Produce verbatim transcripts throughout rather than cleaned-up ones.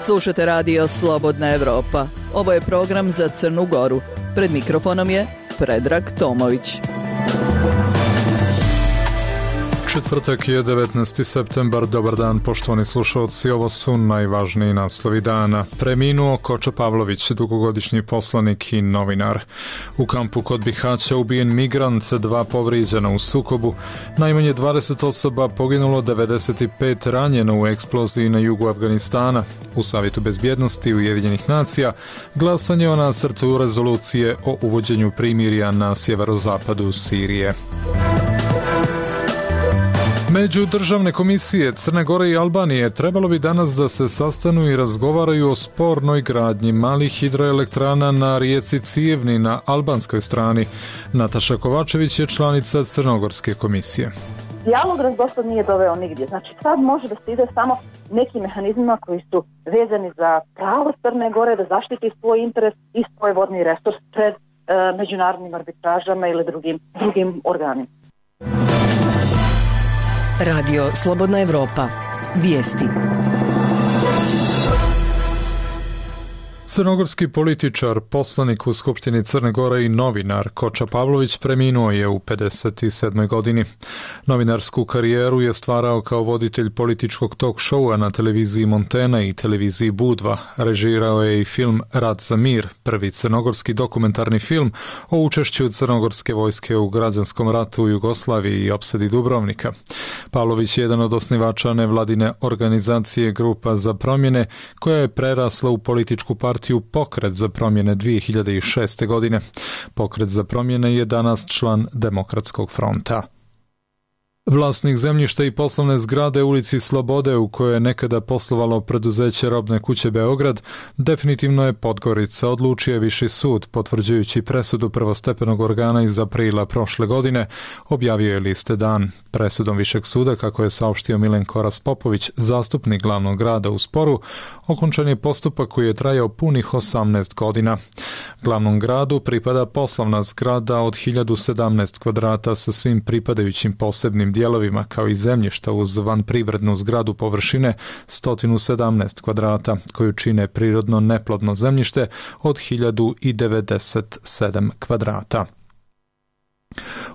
Slušate radio Slobodna Evropa. Ovo je program za Crnu Goru. Pred mikrofonom je Predrag Tomović. Četvrtak je devetnaesti septembar. Dobar dan, poštovani slušalci. Ovo su najvažniji naslovi dana. Preminuo Koča Pavlović, dugogodišnji poslanik i novinar. U kampu kod Bihaća ubijen migrant, dva povrijeđena u sukobu. Najmanje dvadeset osoba poginulo, devedeset pet ranjeno u eksploziji na jugu Afganistana. U Savjetu bezbjednosti Ujedinjenih nacija glasanje o nacrtu rezolucije o uvođenju primirja na sjeverozapadu Sirije. Međudržavne komisije Crne Gore i Albanije trebalo bi danas da se sastanu i razgovaraju o spornoj gradnji malih hidroelektrana na rijeci Cijevni na albanskoj strani. Nataša Kovačević je članica Crnogorske komisije. Dijalog nas dosad nije doveo nigdje. Znači sad može da se ide samo nekim mehanizmima koji su vezani za pravo Crne Gore da zaštiti svoj interes i svoj vodni resurs pred e, međunarodnim arbitražama ili drugim, drugim organima. Radio Slobodna Evropa. Vijesti. Crnogorski političar, poslanik u Skupštini Crne Gore i novinar Koča Pavlović preminuo je u pedeset sedmoj godini. Novinarsku karijeru je stvarao kao voditelj političkog talk showa na televiziji Montena i televiziji Budva. Režirao je i film Rat za mir, prvi crnogorski dokumentarni film o učešću crnogorske vojske u građanskom ratu u Jugoslaviji i opsadi Dubrovnika. Pavlović je jedan od osnivača nevladine organizacije Grupa za promjene, koja je prerasla u političku partiju Pokret za promjene dvije hiljade šeste. godine. Pokret za promjene je danas član Demokratskog fronta. Vlasnik zemljišta i poslovne zgrade u ulici Slobode, u kojoj je nekada poslovalo preduzeće Robne kuće Beograd, definitivno je Podgorica, odlučio je Viši sud, potvrđujući presudu prvostepenog organa iz aprila prošle godine, objavio je liste dan. Presudom Višeg suda, kako je saopštio Milenko Raspopović, zastupnik glavnog grada u sporu, okončan je postupak koji je trajao punih osamnaest godina. Glavnom gradu pripada poslovna zgrada od hiljadu sedamnaest kvadrata sa svim pripadajućim posebnim dijelovima, kao i zemljišta uz vanprivrednu zgradu površine sto sedamnaest kvadrata, koju čine prirodno neplodno zemljište od hiljadu devedeset sedam kvadrata.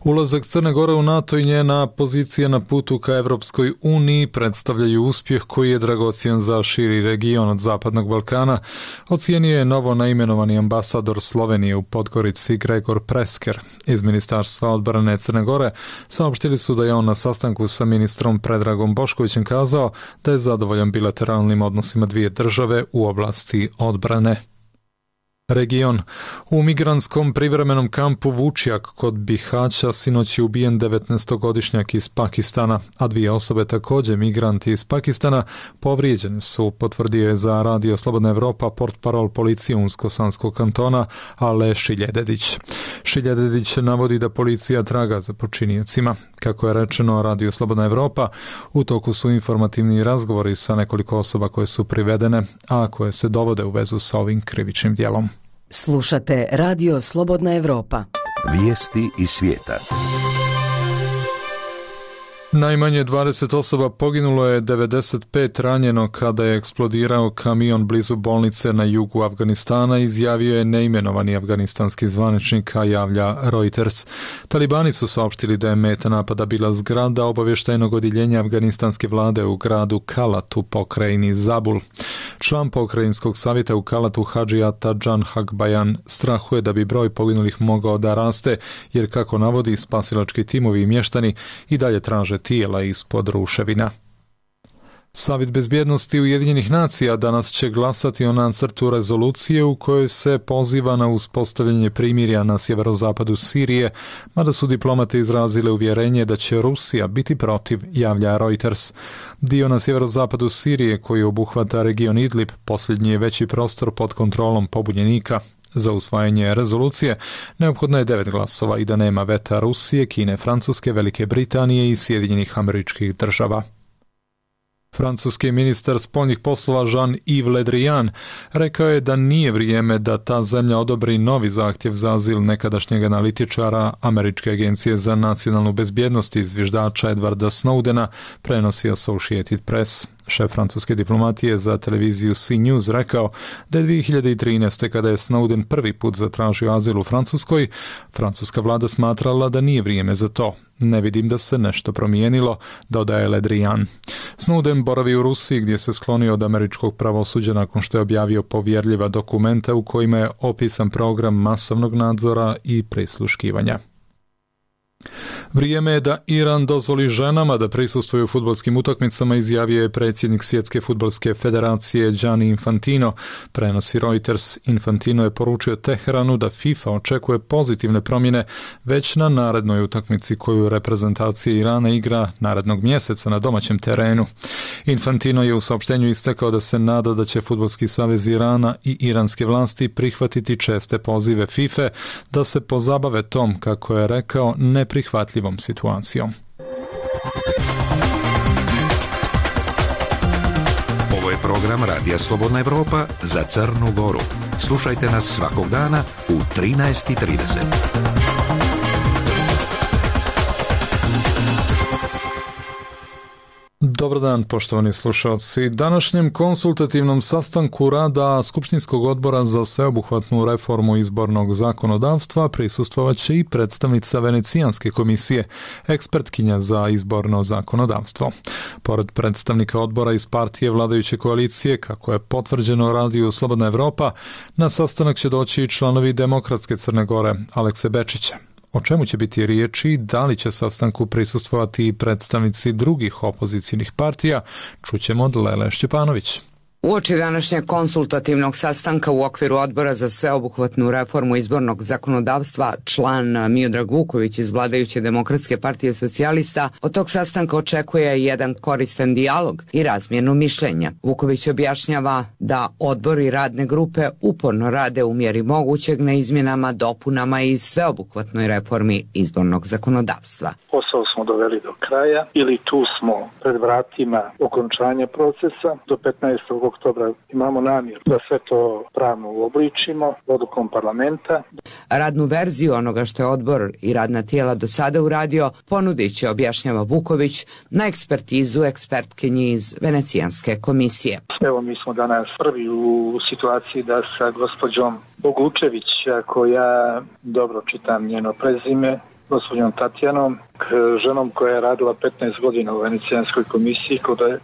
Ulazak Crne Gore u NATO i njena pozicija na putu ka Evropskoj uniji predstavljaju uspjeh koji je dragocjen za širi region od Zapadnog Balkana, ocijenio je novo naimenovani ambasador Slovenije u Podgorici Gregor Presker. Iz Ministarstva odbrane Crne Gore saopštili su da je on na sastanku sa ministrom Predragom Boškovićem kazao da je zadovoljan bilateralnim odnosima dvije države u oblasti odbrane. Region. U migrantskom privremenom kampu Vučjak kod Bihaća sinoć je ubijen devetnaestogodišnjak iz Pakistana, a dvije osobe, također migranti iz Pakistana, povrijeđene su, potvrdio je za radio Slobodna Evropa portparol policije Unsko-Sanskog kantona Ale Šiljededić. Šiljededić navodi da policija traga za počiniocima. Kako je rečeno radio Slobodna Evropa, u toku su informativni razgovori sa nekoliko osoba koje su privedene, a koje se dovode u vezu sa ovim krivičnim djelom. Slušate radio Slobodna Evropa. Vijesti iz svijeta. Najmanje dvadeset osoba poginulo je, devedeset pet ranjeno kada je eksplodirao kamion blizu bolnice na jugu Afganistana, izjavio je neimenovani afganistanski zvaničnik, a javlja Reuters. Talibani su saopštili da je meta napada bila zgrada obavještajnog odjeljenja afganistanske vlade u gradu Kalat u pokrajini Zabul. Član pokrajinskog savjeta u Kalatu Hadžijata Džan Hakbajan strahuje da bi broj poginulih mogao da raste, jer kako navodi spasilački timovi i mještani i dalje traže tijela ispod ruševina. Savjet bezbjednosti Ujedinjenih nacija danas će glasati o nacrtu rezolucije u kojoj se poziva na uspostavljanje primirja na sjeverozapadu Sirije, mada su diplomate izrazile uvjerenje da će Rusija biti protiv, javlja Reuters. Dio na sjeverozapadu Sirije koji obuhvata region Idlib posljednji je veći prostor pod kontrolom pobunjenika. Za usvajanje rezolucije neophodno je devet glasova i da nema veta Rusije, Kine, Francuske, Velike Britanije i Sjedinjenih Američkih Država. Francuski ministar spoljnih poslova Jean-Yves Le Drian rekao je da nije vrijeme da ta zemlja odobri novi zahtjev za azil nekadašnjeg analitičara Američke agencije za nacionalnu bezbjednost i zviždača Edwarda Snowdena, prenosi Associated Press. Šef francuske diplomatije za televiziju C News rekao da je dvije hiljade trinaeste. kada je Snowden prvi put zatražio azil u Francuskoj, francuska vlada smatrala da nije vrijeme za to. Ne vidim da se nešto promijenilo, dodaje Le Drian. Snowden boravi u Rusiji gdje se sklonio od američkog pravosuđa nakon što je objavio povjerljiva dokumenta u kojima je opisan program masovnog nadzora i prisluškivanja. Vrijeme je da Iran dozvoli ženama da prisustvuju fudbalskim utakmicama, izjavio je predsjednik Svjetske fudbalske federacije Gianni Infantino. Prenosi Reuters. Infantino je poručio Teheranu da FIFA očekuje pozitivne promjene već na narednoj utakmici koju reprezentacija Irana igra narednog mjeseca na domaćem terenu. Infantino je u saopštenju istakao da se nada da će Fudbalski savez Irana i iranske vlasti prihvatiti česte pozive FIFA da se pozabave tom, kako je rekao, neprihvatljivom situacijom. Ovo je program Radija Slobodna Evropa za Crnu Goru. Slušajte nas svakog dana u trinaest i trideset. Dobar dan, poštovani slušalci. Današnjem konsultativnom sastanku rada Skupštinskog odbora za sveobuhvatnu reformu izbornog zakonodavstva prisustvovat će i predstavnica Venecijanske komisije, ekspertkinja za izborno zakonodavstvo. Pored predstavnika odbora iz partije vladajuće koalicije, kako je potvrđeno radiju Slobodna Evropa, na sastanak će doći i članovi Demokratske Crne Gore, Alekse Bečića. O čemu će biti riječi, da li će sastanku prisustvovati i predstavnici drugih opozicijnih partija, čućemo od Lele Šćepanović. Uoči današnjeg konsultativnog sastanka u okviru odbora za sveobuhvatnu reformu izbornog zakonodavstva, član Miodrag Vuković iz vladajuće Demokratske partije socijalista od tog sastanka očekuje jedan koristan dijalog i razmjenu mišljenja. Vuković objašnjava da odbor i radne grupe uporno rade u mjeri mogućeg na izmjenama, dopunama i sveobuhvatnoj reformi izbornog zakonodavstva. Posao smo doveli do kraja ili tu smo pred vratima okončanja procesa. Do petnaestog oktobra imamo namjeru da sve to pravno uobličimo odlukom parlamenta. Radnu verziju onoga što je odbor i radna tijela do sada uradio ponudit će, objašnjava Vuković, na ekspertizu ekspertkinji iz Venecijanske komisije. Evo, mi smo danas prvi u situaciji da sa gospođom Bogučević, ako ja dobro čitam njeno prezime, gospođom Tatjanom, ženom koja je radila petnaest godina u Venecijanskoj komisiji,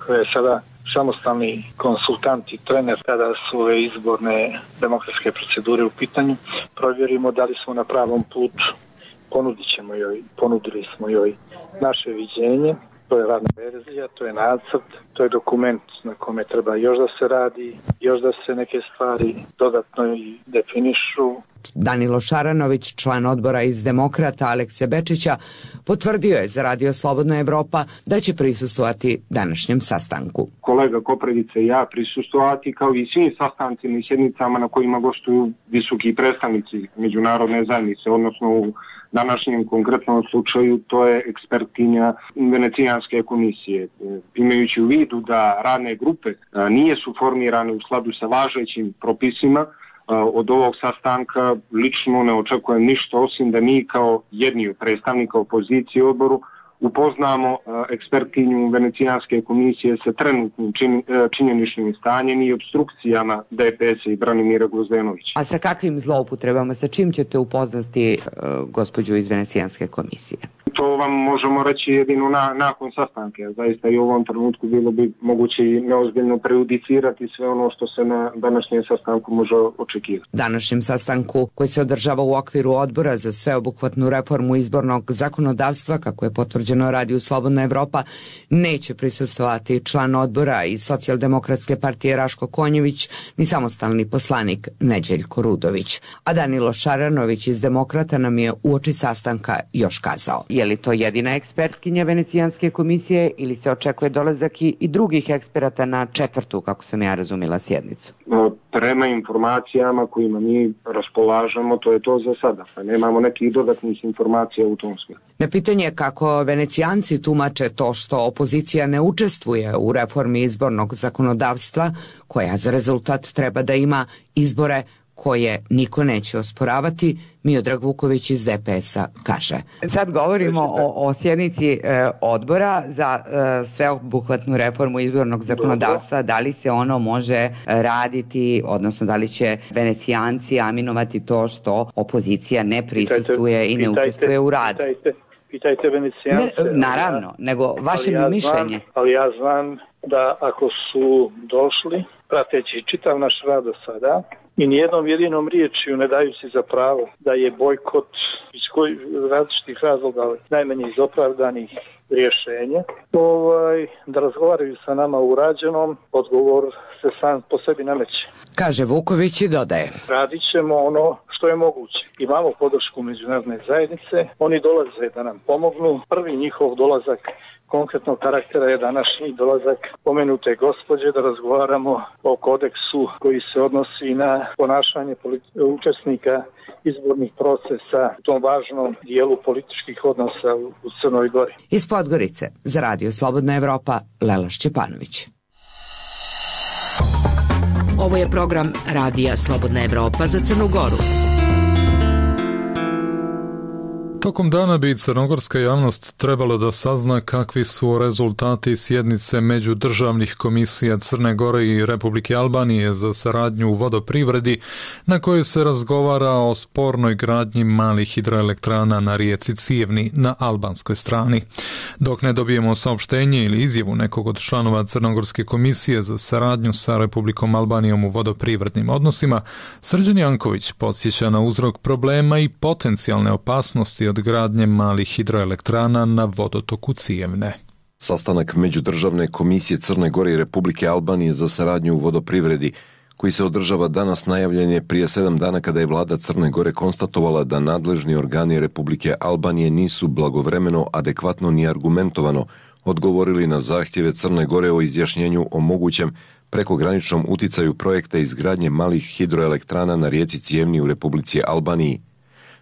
koja je sada samostalni konsultant i trener kada su ove izborne demokratske procedure u pitanju, provjerimo da li smo na pravom putu. Ponudit ćemo joj, ponudili smo joj naše viđenje, to je radna verzija, to je nacrt, to je dokument na kome treba još da se radi, još da se neke stvari dodatno i definišu. Danilo Šaranović, član odbora iz Demokrata Alekse Bečića, potvrdio je za Radio Slobodna Evropa da će prisustvovati današnjem sastanku. Kolega Kopredica i ja prisustvovati kao i svim sastancima i sjednicama na kojima gostuju visoki predstavnici međunarodne zajednice, odnosno u današnjem konkretnom slučaju to je ekspertinja Venecijanske komisije. Imajući u vidu da radne grupe nisu formirane u skladu sa važećim propisima, od ovog sastanka lično ne očekujem ništa osim da mi kao jedni od predstavnika opozicije u odboru upoznamo ekspertinju Venecijanske komisije sa trenutnim čin, činjeničnim stanjem i obstrukcijama D P S-a i Branimira Gvozdenovića. A sa kakvim zloupotrebama, sa čim ćete upoznati uh, gospođu iz Venecijanske komisije? To vam možemo reći jedino na, nakon sastanke. Zaista i u ovom trenutku bilo bi moguće i neozbiljno prejudicirati sve ono što se na današnjem sastanku može očekivati. Današnjem sastanku koji se održava u okviru odbora za sveobuhvatnu reformu izbornog zakonodavstva, kako je potvrđeno Radio Slobodna Evropa, neće prisustvovati član odbora iz Socijaldemokratske partije Raško Konjević ni samostalni poslanik Neđeljko Rudović. A Danilo Šaranović iz Demokrata nam je uoči sastanka još kazao. Je li to jedina ekspertkinja Venecijanske komisije ili se očekuje dolazak i drugih eksperata na četvrtu, kako sam ja razumjela, sjednicu? Prema informacijama kojima mi raspolažemo, to je to za sada. Nemamo nekih dodatnih informacija u tom smjeru. Na pitanje kako Venecijanci tumače to što opozicija ne učestvuje u reformi izbornog zakonodavstva, koja za rezultat treba da ima izbore koje niko neće osporavati, Miodrag Vuković iz D P S-a kaže. Sad govorimo o, o sjednici e, odbora za e, sveobuhvatnu reformu izbornog zakonodavstva. Da li se ono može raditi, odnosno da li će Venecijanci aminovati to što opozicija ne prisustuje i ne pitajte, učestvuje u radu? Pitajte, pitajte Venecijance. Ne, naravno, nego vaše ja mišljenje. Znam, ali ja znam da ako su došli, prateći čitav naš rad do sada, i nijednom jedinom riječju ne daju si za pravo da je bojkot iz kojih različitih razloga, najmanje iz opravdanih rješenja, ovaj, da razgovaraju sa nama u urađenom, odgovor se sam po sebi nameće. Kaže Vuković i dodaje. Radit ćemo ono što je moguće. Imamo podršku međunarodne zajednice, oni dolaze da nam pomognu. Prvi njihov dolazak konkretnog karaktera je današnji dolazak pomenute gospođe da razgovaramo o kodeksu koji se odnosi na ponašanje politi- učesnika izbornih procesa u tom važnom dijelu političkih odnosa u Crnoj Gori. Iz Podgorice za Radio Slobodna Evropa, Lela Šćepanović. Ovo je program Radija Slobodna Evropa za Crnu Goru. Tokom dana bi crnogorska javnost trebalo da sazna kakvi su rezultati sjednice međudržavnih komisija Crne Gore i Republike Albanije za saradnju u vodoprivredi, na kojoj se razgovara o spornoj gradnji malih hidroelektrana na rijeci Cijevni na albanskoj strani. Dok ne dobijemo saopštenje ili izjavu nekog od članova Crnogorske komisije za saradnju sa Republikom Albanijom u vodoprivrednim odnosima, Srđan Janković podsjeća na uzrok problema i potencijalne opasnosti od gradnje malih hidroelektrana na vodotoku Cijevne. Sastanak Međudržavne komisije Crne Gore i Republike Albanije za saradnju u vodoprivredi, koji se održava danas, najavljen je prije sedam dana kada je vlada Crne Gore konstatovala da nadležni organi Republike Albanije nisu blagovremeno, adekvatno ni argumentovano odgovorili na zahtjeve Crne Gore o izjašnjenju o mogućem prekograničnom uticaju projekta izgradnje malih hidroelektrana na rijeci Cijevni u Republici Albaniji.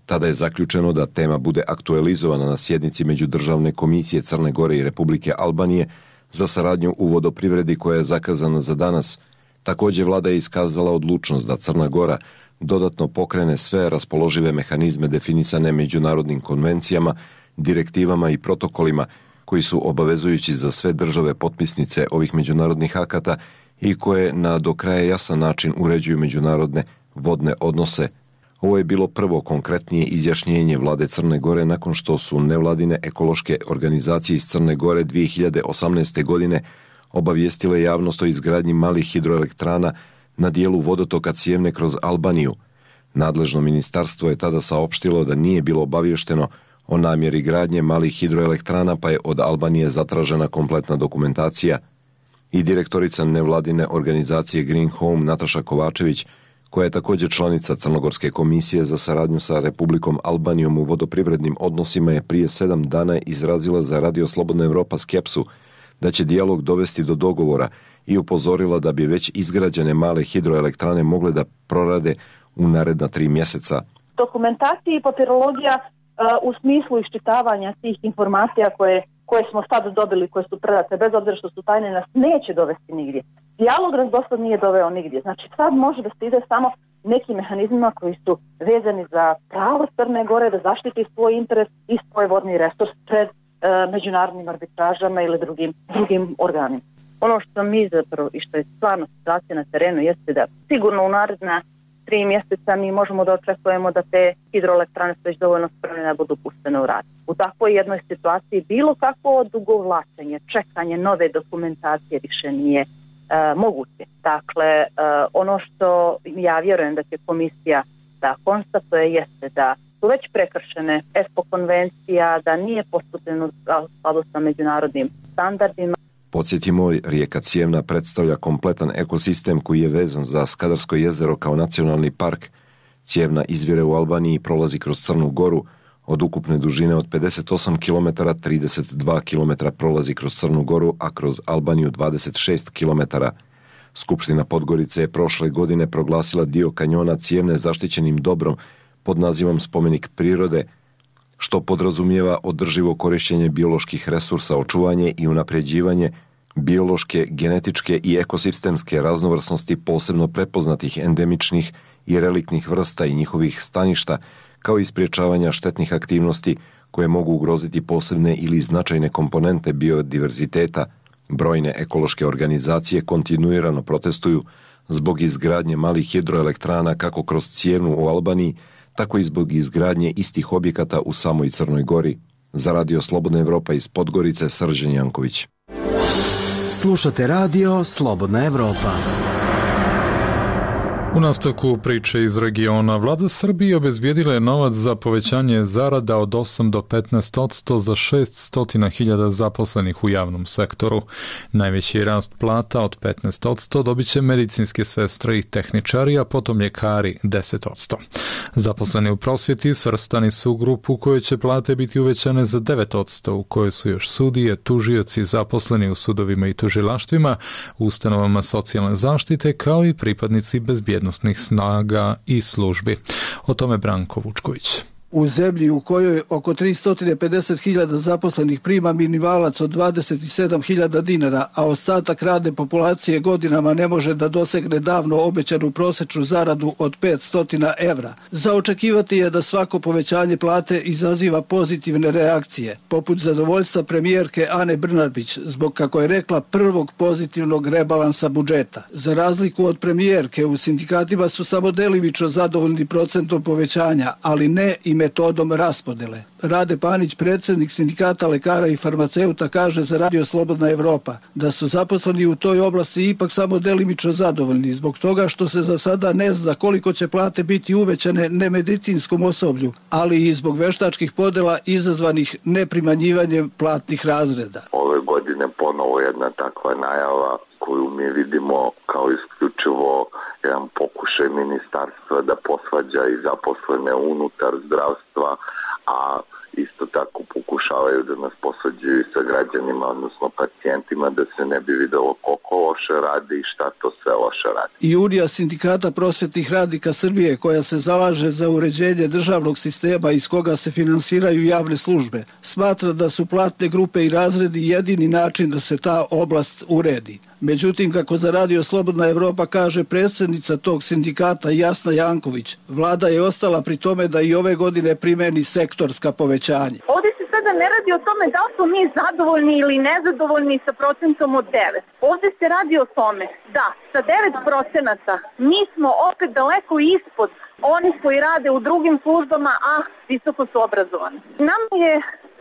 Tada je zaključeno da tema bude aktualizovana na sjednici Međudržavne komisije Crne Gore i Republike Albanije za saradnju u vodoprivredi koja je zakazana za danas. Također vlada je iskazala odlučnost da Crna Gora dodatno pokrene sve raspoložive mehanizme definisane međunarodnim konvencijama, direktivama i protokolima koji su obavezujući za sve države potpisnice ovih međunarodnih akata i koje na do kraja jasan način uređuju međunarodne vodne odnose. Ovo je bilo prvo konkretnije izjašnjenje vlade Crne Gore nakon što su nevladine ekološke organizacije iz Crne Gore dvije hiljade osamnaeste. godine obavijestile javnost o izgradnji malih hidroelektrana na dijelu vodotoka Cijevne kroz Albaniju. Nadležno ministarstvo je tada saopštilo da nije bilo obavješteno o namjeri gradnje malih hidroelektrana, pa je od Albanije zatražena kompletna dokumentacija. I direktorica nevladine organizacije Green Home Nataša Kovačević, koja je također članica Crnogorske komisije za saradnju sa Republikom Albanijom u vodoprivrednim odnosima, je prije sedam dana izrazila za Radio Slobodna Evropa skepsu da će dijalog dovesti do dogovora i upozorila da bi već izgrađene male hidroelektrane mogle da prorade u naredna tri mjeseca. Dokumentacija i papirologija uh, u smislu iščitavanja tih informacija koje, koje smo sad dobili, koje su predate, bez obzira što su tajne, nas neće dovesti nigdje. Dijalog nas dosad nije doveo nigdje. Znači sad može da se ide samo nekim mehanizmima koji su vezani za pravo Crne Gore da zaštiti svoj interes i svoj vodni resurs pred uh, međunarodnim arbitražama ili drugim, drugim organima. Ono što mi zapravo i što je stvarno situacija na terenu jeste da sigurno u naredna tri mjeseca mi možemo da očekujemo da te hidroelektrane su već dovoljno spremne da budu puštene u rad. U takvoj jednoj situaciji bilo kakvo odugovlačenje, čekanje nove dokumentacije više nije e, moguće. Dakle, e, ono što ja vjerujem da će komisija da konstatuje jeste da su već prekršene ESPO konvencija, da nije postupljeno u skladu sa međunarodnim standardima. Podsjetimo, rijeka Cijevna predstavlja kompletan ekosistem koji je vezan za Skadarsko jezero kao nacionalni park. Cijevna izvire u Albaniji, prolazi kroz Crnu Goru, od ukupne dužine od pedeset osam kilometara, trideset dva kilometra prolazi kroz Crnu Goru, a kroz Albaniju dvadeset šest kilometara. Skupština Podgorice je prošle godine proglasila dio kanjona Cijevne zaštićenim dobrom pod nazivom Spomenik prirode, što podrazumijeva održivo korištenje bioloških resursa, očuvanje i unapređivanje biološke, genetičke i ekosistemske raznovrsnosti posebno prepoznatih endemičnih i reliktnih vrsta i njihovih staništa, kao i sprječavanja štetnih aktivnosti koje mogu ugroziti posebne ili značajne komponente biodiverziteta. Brojne ekološke organizacije kontinuirano protestuju zbog izgradnje malih hidroelektrana kako kroz Cijevnu u Albaniji, tako i zbog izgradnje istih objekata u samoj Crnoj Gori. Za Radio Slobodna Evropa iz Podgorice, Srđan Janković. Slušate Radio Slobodna Evropa. U nastavku priče iz regiona, vlada Srbije obezbijedila je novac za povećanje zarada od osam do petnaest posto za šesťsto hiljada zaposlenih u javnom sektoru. Najveći rast plata od petnaest posto dobit će medicinske sestre i tehničari, a potom ljekari deset posto. Zaposleni u prosvjeti svrstani su u grupu u kojoj će plate biti uvećane za devet posto, u kojoj su još sudije, tužioci, zaposleni u sudovima i tužilaštvima, ustanovama socijalne zaštite, kao i pripadnici bezbjednosti snaga i službi. O tome Branko Vučković. U zemlji u kojoj oko tristo pedeset hiljada zaposlenih prima minimalac od dvadeset sedam hiljada dinara, a ostatak radne populacije godinama ne može da dosegne davno obećanu prosečnu zaradu od petsto evra. Za očekivati je da svako povećanje plate izaziva pozitivne reakcije, poput zadovoljstva premijerke Ane Brnabić, zbog, kako je rekla, prvog pozitivnog rebalansa budžeta. Za razliku od premijerke, u sindikatima su samo delimično zadovoljni procentom povećanja, ali ne i metodom raspodele. Rade Panić, predsjednik sindikata lekara i farmaceuta, kaže za Radio Slobodna Evropa da su zaposleni u toj oblasti ipak samo delimično zadovoljni zbog toga što se za sada ne zna koliko će plate biti uvećane nemedicinskom osoblju, ali i zbog veštačkih podela izazvanih neprimanjivanjem platnih razreda. Ove godine ponovo jedna takva najava koju mi vidimo kao isključivo jedan pokušaj ministarstva da posvađa i zaposlene unutar zdravstva, a isto tako pokušavaju da nas posvađaju i sa građanima, odnosno pacijentima, da se ne bi videlo koliko loše radi i šta to sve loše radi. I Unija sindikata prosvetnih radnika Srbije, koja se zalaže za uređenje državnog sistema iz koga se finansiraju javne službe, smatra da su platne grupe i razredi jedini način da se ta oblast uredi. Međutim, kako za Radio Slobodna Evropa kaže predsjednica tog sindikata Jasna Janković, vlada je ostala pri tome da i ove godine primeni sektorska povećanja. Ovdje se sada ne radi o tome da li smo mi zadovoljni ili nezadovoljni sa procentom od devet. Ovdje se radi o tome da sa devet procenata mi smo opet daleko ispod onih koji rade u drugim službama, a visoko su obrazovani. Nam je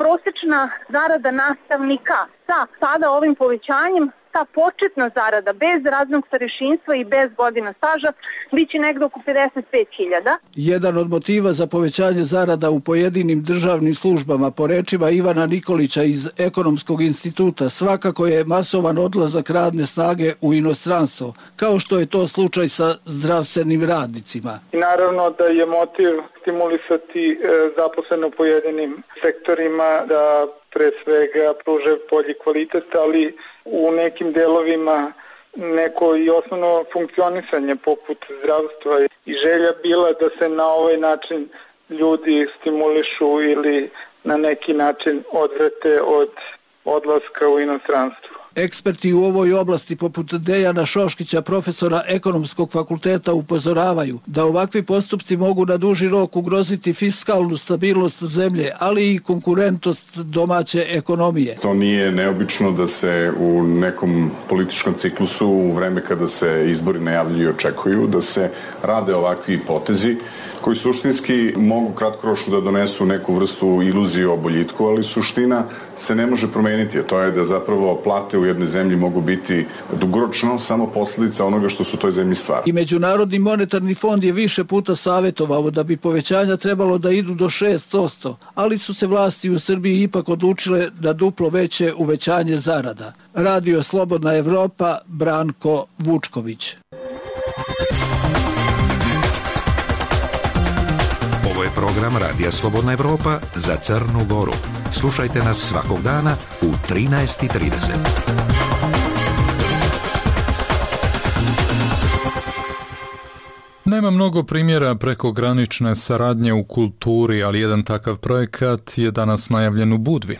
prosječna zarada nastavnika sa sada ovim povećanjem, ta početna zarada bez radnog starešinstva i bez godina staža biće negdje oko pedeset pet hiljada. Jedan od motiva za povećanje zarada u pojedinim državnim službama, po rečima Ivana Nikolića iz Ekonomskog instituta, svakako je masovan odlazak radne snage u inostranstvo, kao što je to slučaj sa zdravstvenim radnicima. I naravno da je motiv stimulisati zaposlene u pojedinim sektorima da pre svega pruže bolji kvalitet, ali u nekim delovima neko i osnovno funkcionisanje poput zdravstva i želja bila da se na ovaj način ljudi stimulišu ili na neki način odvrate od odlaska u inostranstvo. Eksperti u ovoj oblasti poput Dejana Šoškića, profesora Ekonomskog fakulteta, upozoravaju da ovakvi postupci mogu na duži rok ugroziti fiskalnu stabilnost zemlje, ali i konkurentnost domaće ekonomije. To nije neobično da se u nekom političkom ciklusu, u vreme kada se izbori najavljuju i očekuju, da se rade ovakvi potezi koji suštinski mogu kratkoročno da donesu neku vrstu iluzije o boljitku, ali suština se ne može promeniti, a to je da zapravo plate u jednoj zemlji mogu biti dugoročno samo posljedica onoga što su u toj zemlji stvari. I Međunarodni monetarni fond je više puta savjetovao da bi povećanja trebalo da idu do šest posto, ali su se vlasti u Srbiji ipak odlučile da duplo veće uvećanje zarada. Radio Slobodna Evropa, Branko Vučković. Ovo je program Radija Slobodna Evropa za Crnu Goru. Slušajte nas svakog dana u trinaest i trideset. Nema mnogo primjera prekogranične saradnje u kulturi, ali jedan takav projekat je danas najavljen u Budvi.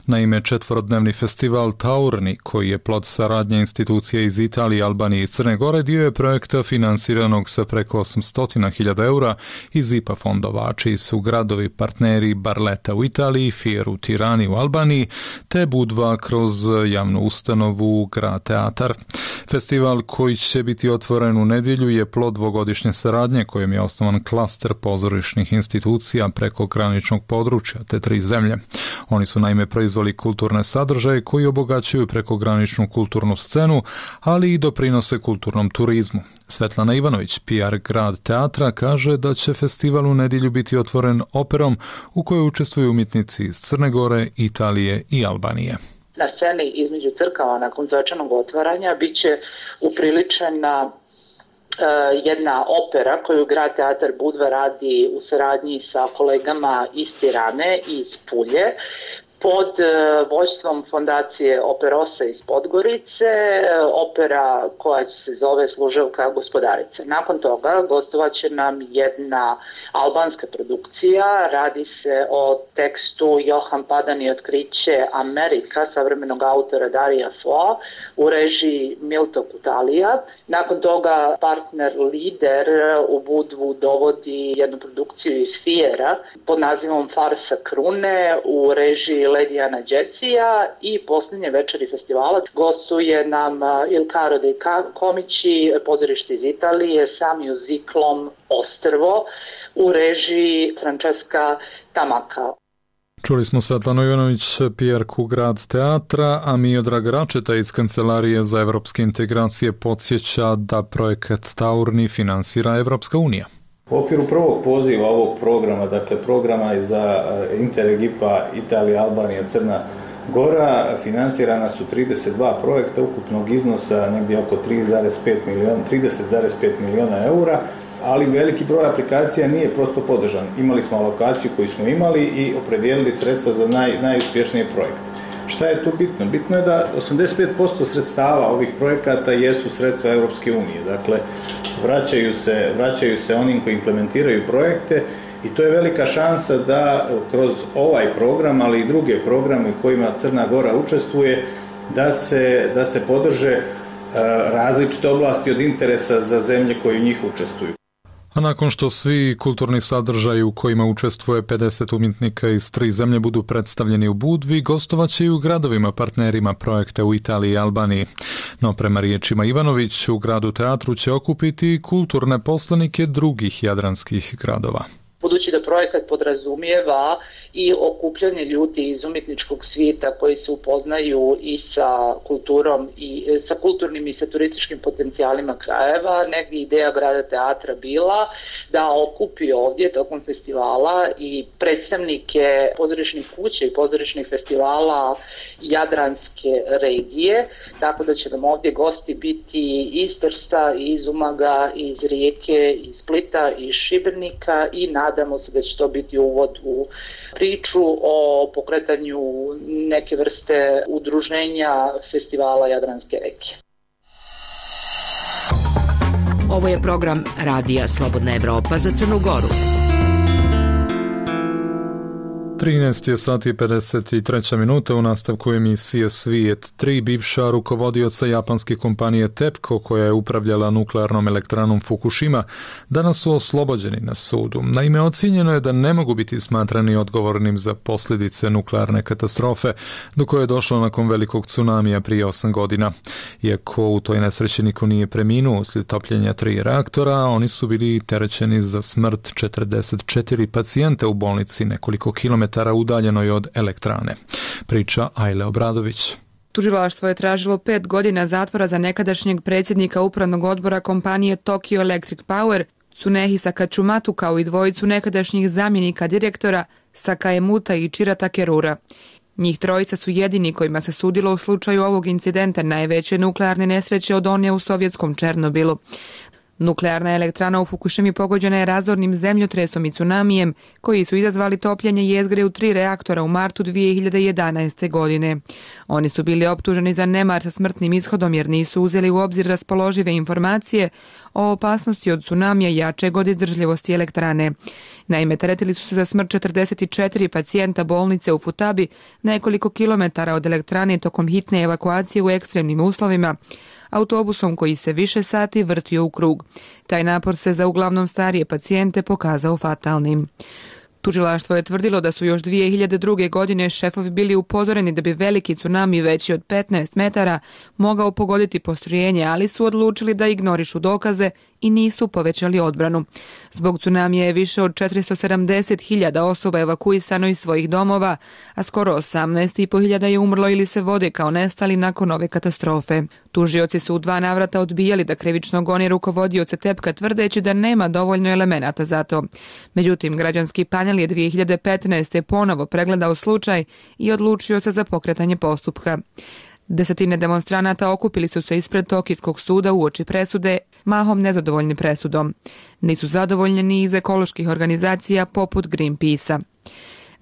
Naime, četvorodnevni festival Taurni, koji je plod saradnje institucija iz Italije, Albanije i Crne Gore, dio je projekta finansiranog sa preko osamsto hiljada eura iz I P A fondova, čiji su gradovi partneri Barletta u Italiji, Fier u Tirani u Albaniji, te Budva kroz javnu ustanovu Grad Teatar. Festival koji će biti otvoren u nedjelju je plod dvogodišnje saradnje kojim je osnovan klaster pozorišnih institucija preko graničnog područja te tri zemlje. Oni su naime proizveli kulturne sadržaje koji obogaćuju prekograničnu kulturnu scenu, ali i doprinose kulturnom turizmu. Svetlana Ivanović, P R Grad Teatra, kaže da će festival u nedjelju biti otvoren operom u kojoj učestvuju umjetnici iz Crne Gore, Italije i Albanije. Na sceni između crkava nakon svečanog otvaranja bit će upriličena jedna opera koju Grad Teatar Budva radi u saradnji sa kolegama iz Tirane i iz Pulje pod vođstvom fondacije Operosa iz Podgorice, opera koja se zove Služevka gospodarice. Nakon toga gostovat će nam jedna albanska produkcija, radi se o tekstu Johan Padan i otkriće Amerika savremenog autora Darija Foa u režiji Milto Kutalija. Nakon toga partner Lider u Budvu dovodi jednu produkciju iz Fiera pod nazivom Farsa Krune u režiji Ledijana Đecija i posljednje večeri festivala gostuje nam Il Caro dei Comici, pozorište iz Italije sa mjuziklom Ostrvo u režiji Francesca Tamaka. Čuli smo Svetlanu Ivanović, P R-ku Grad Teatra, a Miodrag Račeta iz Kancelarije za evropske integracije podsjeća da projekat Taurni finansira Evropska unija. U okviru prvog poziva ovog programa, dakle programa za Interreg I P A Italija, Albanija, Crna Gora, finansirana su trideset dva projekta ukupnog iznosa negdje oko trideset zarez pet miliona eura, ali veliki broj aplikacija nije prosto podržan. Imali smo alokaciju koju smo imali i opredijelili sredstva za naj, najuspješnije projekte. Šta je tu bitno? Bitno je da osamdeset pet posto sredstava ovih projekata jesu sredstva Europske unije. Dakle, vraćaju se, vraćaju se onim koji implementiraju projekte i to je velika šansa da kroz ovaj program, ali i druge programe u kojima Crna Gora učestvuje, da se, da se podrže različite oblasti od interesa za zemlje koje u njih učestvuju. A nakon što svi kulturni sadržaji u kojima učestvuje pedeset umjetnika iz tri zemlje budu predstavljeni u Budvi, gostovaće i u gradovima partnerima projekta u Italiji i Albaniji. No prema riječima Ivanović, u Gradu Teatru će okupiti kulturne poslanike drugih jadranskih gradova. Budući da projekat podrazumijeva i okupljanje ljudi iz umjetničkog svijeta koji se upoznaju i sa kulturom i sa kulturnim i sa turističkim potencijalima krajeva, negdje ideja Grada Teatra bila da okupi ovdje tokom festivala i predstavnike pozorišnih kuća i pozorišnih festivala jadranske regije, tako da će nam ovdje gosti biti iz Trsta, iz Umaga, iz Rijeke, iz Splita, iz Šibenika i nadamo se da će to biti uvod u priču o pokretanju neke vrste udruženja festivala Jadranske regije. Ovo je program Radija Slobodna Evropa za Crnu Goru. trinaest je sati i pedeset treća minuta. U nastavku emisije Svijet. Tri bivša rukovodioca japanske kompanije TEPCO, koja je upravljala nuklearnom elektranom Fukushima, danas su oslobođeni na sudu. Naime, ocijenjeno je da ne mogu biti smatrani odgovornim za posljedice nuklearne katastrofe do koje je došlo nakon velikog tsunamija prije osam godina. Iako u toj nesreći niko nije preminuo uslijed topljenja tri reaktora, oni su bili terećeni za smrt četrdeset četiri pacijenta u bolnici nekoliko kilometara udaljenoj od elektrane. Priča Ajle Obradović. Tužilaštvo je tražilo pet godina zatvora za nekadašnjeg predsjednika upravnog odbora kompanije Tokyo Electric Power, Tsunehi Sakatsumatu, kao i dvojicu nekadašnjih zamjenika direktora Sakaemuta i Chira Takerura. Njih trojica su jedini kojima se sudilo u slučaju ovog incidenta, najveće nuklearne nesreće od one u sovjetskom Černobilu. Nuklearna elektrana u Fukushimi pogođena je razornim zemljotresom i tsunamijem, koji su izazvali topljenje jezgre u tri reaktora u martu dvije hiljade jedanaeste. godine. Oni su bili optuženi za nemar sa smrtnim ishodom jer nisu uzeli u obzir raspoložive informacije o opasnosti od tsunamija jačeg od izdržljivosti elektrane. Naime, teretili su se za smrt četrdeset četiri pacijenta bolnice u Futabi, nekoliko kilometara od elektrane tokom hitne evakuacije u ekstremnim uslovima, autobusom koji se više sati vrtio u krug. Taj napor se za uglavnom starije pacijente pokazao fatalnim. Tužilaštvo je tvrdilo da su još dvije hiljade druge. godine šefovi bili upozoreni da bi veliki tsunami veći od petnaest metara mogao pogoditi postrojenje, ali su odlučili da ignorišu dokaze i nisu povećali odbranu. Zbog tsunamija je više od četiristo sedamdeset hiljada osoba evakuisano iz svojih domova, a skoro osamnaest i po hiljada je umrlo ili se vode kao nestali nakon ove katastrofe. Tužioci su u dva navrata odbijali da krivično gone rukovodioce Tepka tvrdeći da nema dovoljno elemenata za to. Međutim, građanski panel je dvije hiljade petnaeste. ponovo pregledao slučaj i odlučio se za pokretanje postupka. Desetine demonstranata okupili su se ispred Tokijskog suda uoči presude, mahom nezadovoljni presudom. Nisu zadovoljni ni iz ekoloških organizacija poput Greenpeace-a.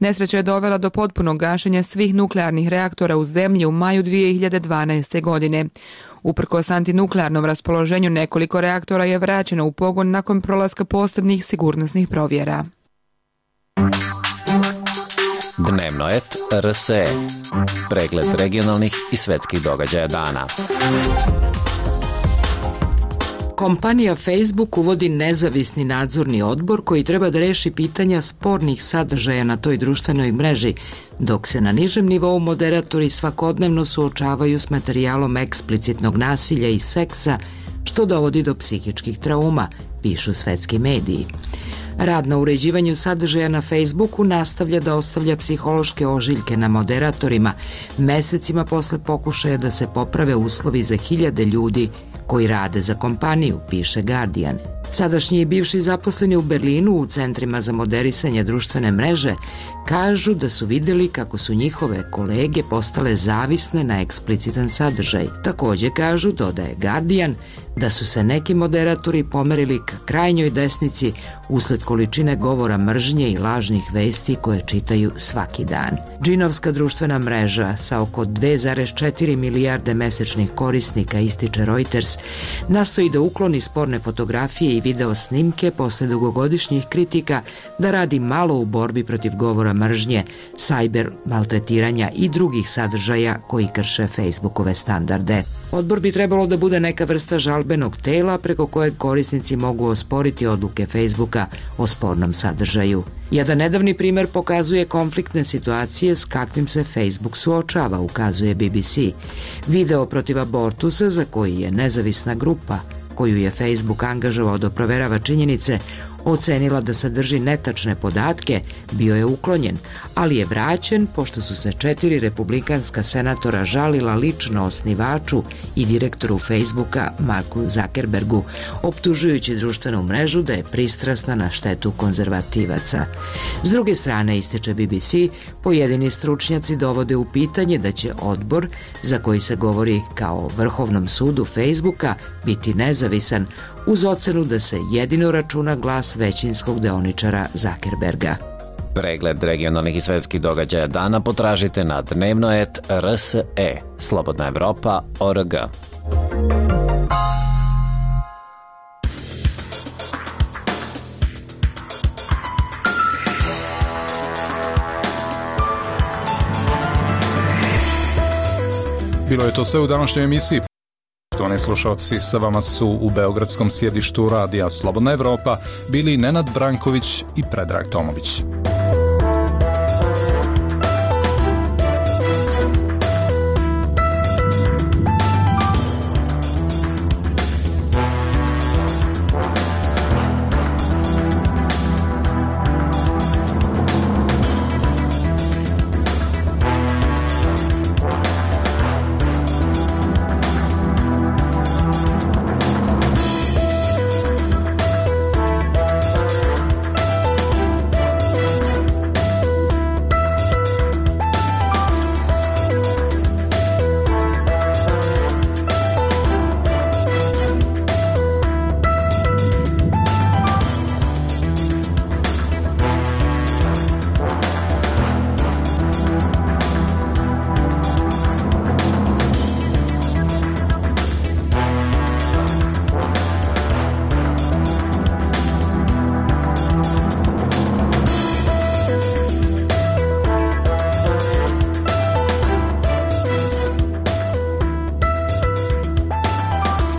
Nesreća je dovela do potpunog gašenja svih nuklearnih reaktora u zemlji u maju dvije hiljade dvanaeste. godine. Uprkos antinuklearnom raspoloženju, nekoliko reaktora je vraćeno u pogon nakon prolaska posebnih sigurnosnih provjera. Dnevno et R S E. Pregled regionalnih i svetskih događaja dana. Kompanija Facebook uvodi nezavisni nadzorni odbor koji treba da reši pitanja spornih sadržaja na toj društvenoj mreži, dok se na nižem nivou moderatori svakodnevno suočavaju s materijalom eksplicitnog nasilja i seksa, što dovodi do psihičkih trauma, pišu svetski mediji. Rad na uređivanju sadržaja na Facebooku nastavlja da ostavlja psihološke ožiljke na moderatorima, mesecima posle pokušaja da se poprave uslovi za hiljade ljudi koji rade za kompaniju, piše Guardian. Sadašnji i bivši zaposleni u Berlinu u centrima za moderisanje društvene mreže kažu da su videli kako su njihove kolege postale zavisne na eksplicitan sadržaj. Takođe kažu, dodaje Guardian, da su se neki moderatori pomerili ka krajnjoj desnici usled količine govora mržnje i lažnih vesti koje čitaju svaki dan. Džinovska društvena mreža sa oko dve zarez četiri milijarde mesečnih korisnika, ističe Reuters, nastoji da ukloni sporne fotografije i video snimke posle dugogodišnjih kritika da radi malo u borbi protiv govora mržnje, sajber maltretiranja i drugih sadržaja koji krše Facebookove standarde. Odbor bi trebalo da bude neka vrsta žalbenog tela preko kojeg korisnici mogu osporiti odluke Facebooka o spornom sadržaju. Jedan nedavni primer pokazuje konfliktne situacije s kakvim se Facebook suočava, ukazuje B B C. Video protiv abortusa, za koji je nezavisna grupa koju je Facebook angažovao da proverava činjenice, ocenila da sadrži netačne podatke, bio je uklonjen, ali je vraćen pošto su se četiri republikanska senatora žalila lično osnivaču i direktoru Facebooka Marku Zuckerbergu, optužujući društvenu mrežu da je pristrasna na štetu konzervativaca. S druge strane, ističe B B C, pojedini stručnjaci dovode u pitanje da će odbor, za koji se govori kao Vrhovnom sudu Facebooka, biti nezavisan, uz ocenu da se jedino računa glas većinskog deoničara Zuckerberga. Pregled regionalnih i svetskih događaja dana potražite na dnevno et R S E, Slobodna Evropa, O R G. Bilo je to sve u današnjoj emisiji. Poštovani slušalci, sa vama su u beogradskom sjedištu radija Slobodna Evropa bili Nenad Branković i Predrag Tomović.